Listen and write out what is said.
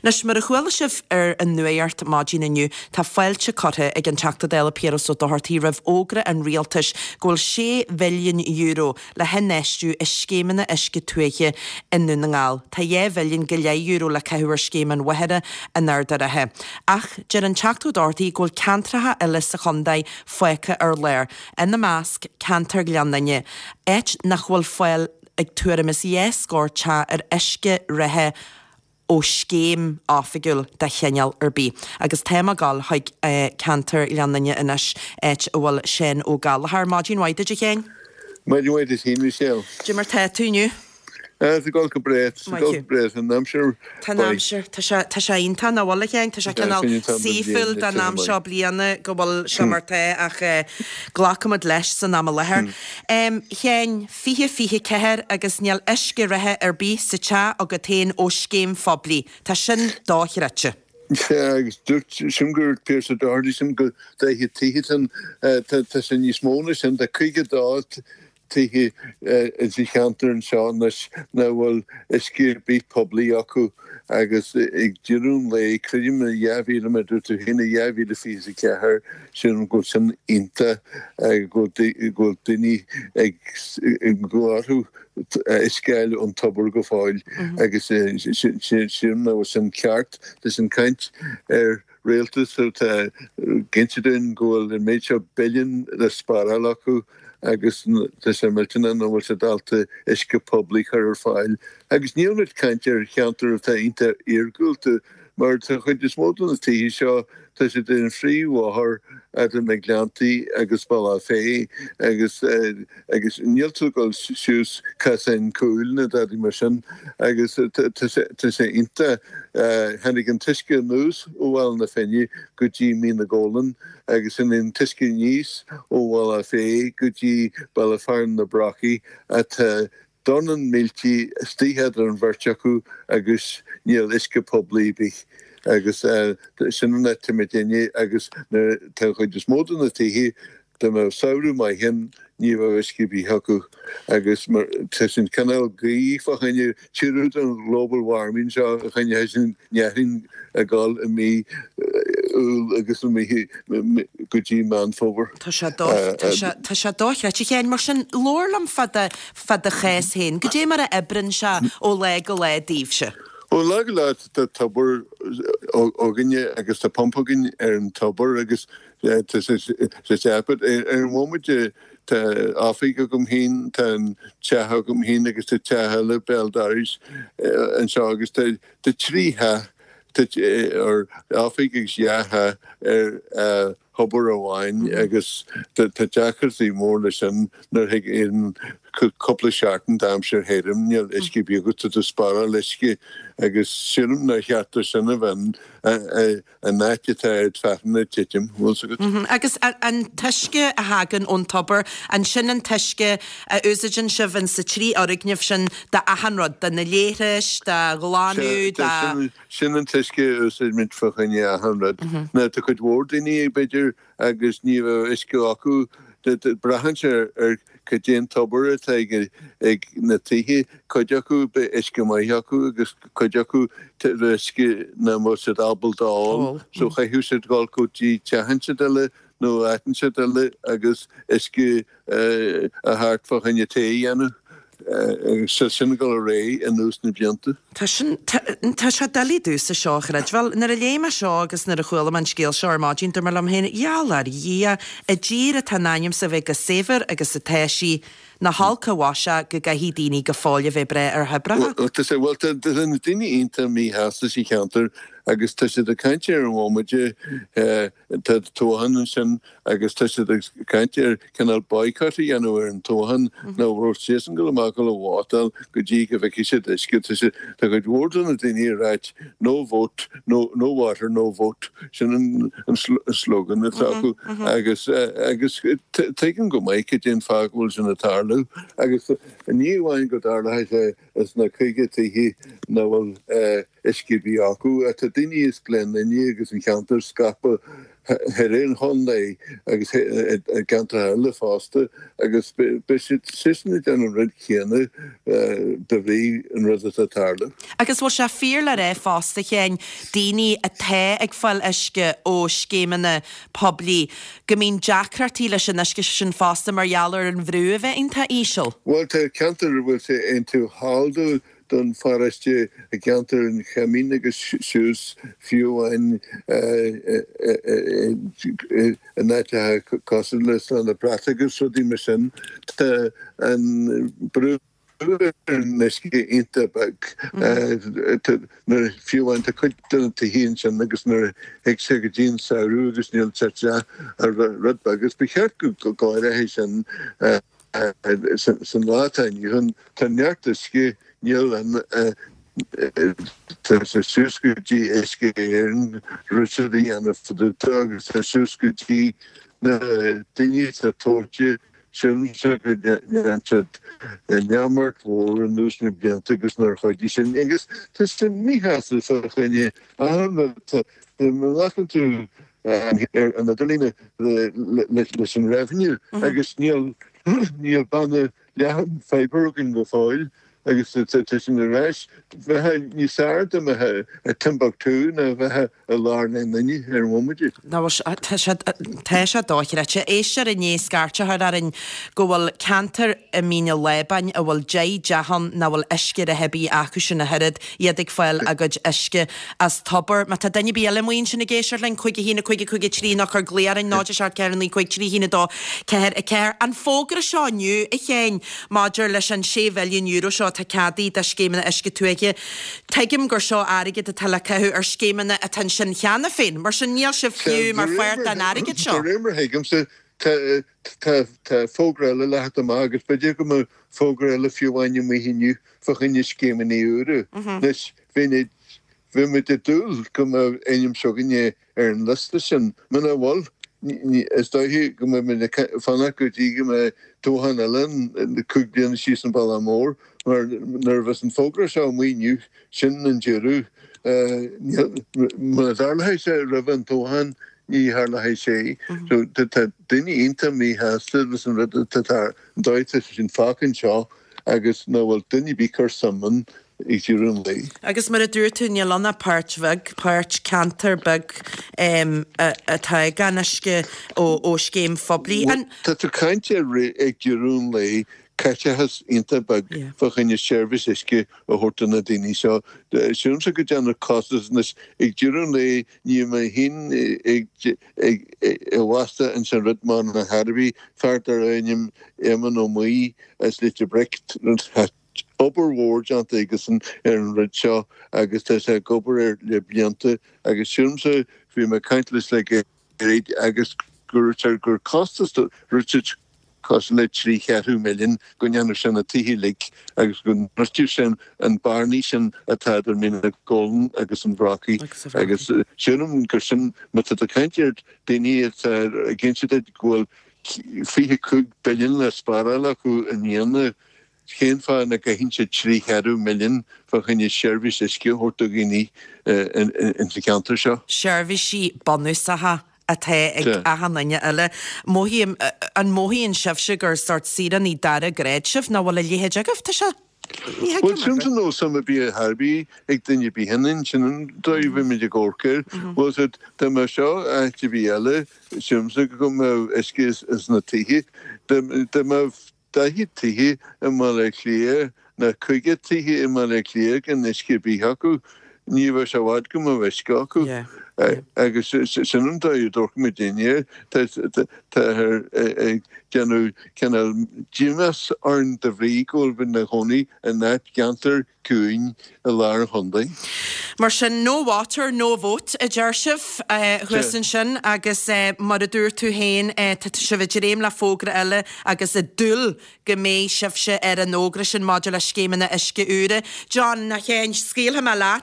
Anois, mar a chuala sibh ar an nuacht maidin inniu, tá fáilte curtha ag an Teachta Dála Piaras Ó Dochartaigh roimh fhógra an Rialtais go bhfuil €6 mhilliún le hinfheistiú i scéimeanna uisce tuaithe i nDún na nGall. Tá €2 mhilliún go leith le caitheamh ar scéim an Mhachaire in Ard a' Rátha. Ach deir an Teachta Ó Dochartaigh go bhfuil ceantracha eile sa chontae fágtha ar lár, ina measc ceantar Ghleann Fhinne, áit nach bhfuil fáil ag tuairim is 2 scór teach ar uisce reatha ó scéim oifigiúil de chineál ar bith. Agus táim ag dul chuig ceantar Ghleann Fhinne anois, áit a bhfuil Seán Ó Gallchóir. Maidin mhaith duit, a Sheáin. Maidin mhaith duit féin, Michelle. Cad é mar tá tú inniu? Ah, tá ag dul go breá, tá ag dul go breá, tá an aimsir Tá an aimsir, tá sé, tá sé iontach, nach bhfuil, a Sheáin? Tá sé cineál saoithiúil don am seo bliana go bhfuil sé mar tá ach glacfaimid leis san am i láthair. A Sheáin, 2024 agus níl uisce reatha ar bith sa teach agat féin ó scéim phoiblí. Tá sin dochreidte. Sea, agus dúirt, sílim gur Pearse Doherty, sílim gur 40 tithe ann, tá sé níos mó ná sin, tá 52 tithe sa cheantar anseo anois nach bhfuil uisce ar bith poiblí acu agus ag deireadh an lae, creidim i 2000, mar a dúirt tú féin, i 2024, sílim go bhfuil sin iontach, go bhfuil daoine ag go bhfuil orthu uisce a fháil ón tobar go fóill agus sílim nach bhfuil sin ceart. Tá sin caint ar rialtas atá ag inse dúinn go bhfuil an méid seo billiún le spáráil acu agus tá sé millteanach nach bhfuil siad ábalta uisce poiblí a chur ar fáil. Agus níl muid ag caint ar cheantar atá iontach iargúlta mar tá chuid is mó de na tithe seo, tá siad ar an phríomhbhóthar idir na Gleanntaí agus Bealach Féich agus agus níl tú ag dul suas casáin cúil ná dadaí mar sin agus tá sé iontach. Tháinig an t-uisce anuas ó Bhaile na Finne go dtí Mín na Gólan agus tháinig an t-uisce aníos ó Bhealach Féich go dtí Baile Fearainn na Brocaí atá dornán míltí istigh idir an bheirt acu agus níl uisce poiblí ar bith agus sin an áit atá muidinne agus nuair tá an chuid is mó de na tithe Dá mbeadh samhradh maith ann ní bheadh uisce ar bith acu agus mar tá sin cineál gaoth fá choinne tíortha den ghlobal warming seo a choinne sin neathraín ag dul i mí Iúil agus i mí go dtí Meán Fómhair. Tá sé tá sé tá sé dochreidte a Sheáin. Mar sin labhair liom fá do fá do chás féin. Goidé mar a oibreann sé ó lá go lá daoibhse? Ó lá go lá tá tobar againne agus tá pumpa againn ar an tobar agus Tá sé ceaptha. Ar an bhomaite tá oifig agam féin, tá an teach agam féin agus tá teach eile béal dorais anseo agus tá 3 theach, or oifig agus dhá theach ar thobar amháin agus tá deacrachtaí mór leis sin nuair a thig aon cúpla seachtain d'aimsir thirim, níl uisce ar bith agat, tá tú ag spáráil uisce agus sílim nár cheart do sin a bheith ann. an áit atá Ard Fearthainn ag titim, bhfuil 's agat. Agus an t-uisce a thagann ón tobar, an sin an t-uisce a úsáideann sibh in sa trí fhoirgneamh sin do achan rud, do na leithris, do ghlanadh, do. Sin an t-uisce a úsáidimid fá choinne achan rud. Now tá cuid mhór daoine, b'fhéidir, agus ní bheadh uisce acu. Braitheann sé ar cad é an tobar atá ag na tithe. Cuid acu beidh uisce maith acu agus cuid acu uisce nach mbeadh siad ábalta a ól. So chaithfeadh siad dul go dtí teach inteacht eile nó áit inteacht eile agus uisce a thabhairt fá choinne tae a dhéanamh. Agus tá sin ag dul ar aghaidh anuas na blianta. Tá sin, tá sé doiligh domhsa seo a chreidbheáil. Nuair a léigh mé seo agus nuair a chuala mé an scéal seo ar maidin, dúirt mé liom féin, gheall ar Dhia, i dtír atá in ainm 's a bheith chomh saibhir agus atá sí, nach olc an mhaise go gcaithfidh daoine go fóill a bheith ag brath ar thoibreacha. Bhuel, tá sé, bhuel, tá na daoine iontach míshásta sa cheantar agus tá siad ag caint ar an bhomaite, Tá toghchán ansin agus tá siad ag caint ar cineál boycott a dhéanamh ar an toghchán nach raibh siadsan ag dul amach ag dul a vótáil go dtí go bhfeicfidh siad uisce. Tá siad, tá cuid mhór de na daoine ag ráit no vote, no, no water, no vote. Sin an, an slogan atá acu agus, agus tuigim go maith cad é an fáth go bhfuil sin ag tarlú agus ní amháin go dtarlóidh sé sna 50 tithe nach bhfuil. uisce ar bith acu. Tá daoine as Gleann Fhinne agus an cheantar scaipthe thar an chontae agus i gceantracha eile fosta agus beidh siad seisean ag déanamh an rud céanna de bhrí an rud atá ag tarlú. Agus bhfuil sé fíor le rá fosta, a Sheáin, daoine atá ag fáil uisce ó scéimeanna poiblí, go mbíonn deacrachtaí leis an uisce sin fosta mar gheall ar an bhrú a bheith iontach íseal? Bhuel tá ceantar a bhfuil sé iontach thall do don pharóiste i gceantar an Choimín agus suas fiú amháin in áiteacha cosúil le Srath na Brat agus rudaí mar sin. Tá an brú ar an uisce iontach beag. Nuair fiú amháin tá cuid de na tithe ansin agus nuair a thig sé go dtí an samhradh agus níl sé te ach rud beag agus ba cheart go gcóireofaí sin San lá atá inniu ann, tá neart uisce, níl an, tá sé suas go dtí Uisce Éireann rud a dhéanamh fá dtaobh de agus tá suas go dtí na daoine atá toghte, sílimse go ndearna siad neamart mhór anuas na blianta agus nár chuidigh sin agus tá sé míshásta fá choinne achan rud, tá, má ghlacann tú ar an idirlíon leis an revenue agus níl níl banna leathan fibre againn go fóill agus tá sin ar ais. Bheadh níos fearr dá mbeadh i Timbuktu ná bheith i lár na nDoiní ar an bhomaite. Tá sé tá sé dochreidte. Éisteoir i ndiaidh scairt a chur orainn go bhfuil ceantar i Mín an Lábáin a bhfuil 10 dteach ann nach bhfuil uisce reatha ar bith acu sin ach oiread. iad ag fáil a gcuid uisce as tobar. Má tá duine ar bith eile amuigh ansin ag éisteacht linn, 5 1 5 5 3 nó cuir glaoch orainn, 0 7 4 9 5 3 1 2 4 4. An fógra seo inniu, a Sheáin, maidir leis an €6 mhilliún seo atá ceadaithe do scéimeanna uisce tuaithe, tuigim gur seo airgead atá le caitheamh ar scéimeanna atá ansin cheana féin, mar sin níl sibh fiú mar pháirt den airgead seo. De réir mar a thuigimse, tá fógra eile le theacht amach agus b'fhéidir go mbeadh fógra eile fiú amháin amuigh inniu fá choinne scéimeanna úra. Anois, bheinn, bheadh muid ag dúil go mbeadh ainm s'againne ar an liosta sin. Muna bhfuil, is dóiche go mbeidh muid ag fanacht go dtí go mbeidh toghchán eile ann 5 bliana síos an bealach mór, mar nuair a bheas an fógra seo amuigh inniu, sin an deireadh. Muna dtarlóidh sé roimh an toghchán, ní tharlóidh sé. So, tá daoine iontach míshásta leis an rud atá, an dóigh atá sé sin fágtha anseo. agus nach bhfuil duine ar bith ag cur suim ann ag deireadh an lae. Agus mar a dúirt tú, níl ann ach páirt bheag, páirt, ceantar beag atá gan uisce ó scéim phoiblí. An. Tá tú ag caint ar ag deireadh an lae, caiteachas iontach beag fá choinne seirbhís uisce a thabhairt do na daoine seo. Sílimse go dtearnadh costas anois ag deireadh an lae, níl mé féin ag i bhfastó ins an rud mar na hArabhaigh, fear darbh ainm Éamonn Ó Muirí as Leitir Bric, tá obair mhór déanta aigesan ar an rud seo agus tá sé ag obair air le blianta agus sílimse, bhí mé ag caint leis le gairid agus go raibh sé gur costas rud sé cosúil le 3 cheathrú milliún go ndéanfadh sé na tithe uilig agus go ndruidfeadh sé an bearnaí sin atá idir Mín na gColm agus an Bhrocaigh agus sílim gur sin, má tá tú ag caint ar daoine atá ag inse duit go bhfuil 25 billiún le spáráil acu i mbliana, cén fáth nach gcaitheann siad 3 cheathrú milliún fá choinne seirbhís uisce a thabhairt do dhaoine insa cheantar seo? Seirbhísí bunúsacha atá ag achan duine eile. Mothaím, an mothaíonn sibhse gur sórt saoránaigh dara grád sibh, nach bhfuil a leithéid agaibh? Tá sé, ní thuigim Bhuel, sin nach bhfuil suim ar bith ar bith ag duine ar bith ionainn, sin an dóigh a bhfuilimid ag amharc air. Bhuel, so, dá mbeadh seo áit ar bith eile, sílimse go mbeadh uisce sna tithe. Dá mbeadh 40 tithe i mBaile Átha Cliath nó 50 tithe i mBaile Átha Cliath gan uisce ar bith acu, ní bheadh sé i bhfad go mbeadh uisce acu. Agus sin an dóigh a dtabharfaimid air. Táthar ag déanamh cineál dímheas orainn de bhrí go bhfuil muid inár gcónaí in áit gceantar ciúin i lár an chontae. Mar sin, no water, no vote, a deir sibh thuas ansin agus mar a dúirt tú féin, tá sibh ag dréim le fógra eile agus ag dúil go mbeidh sibhse ar an fhógra sin maidir le scéimeanna uisce úra. John, a Sheáin, scaoilfidh mé leat.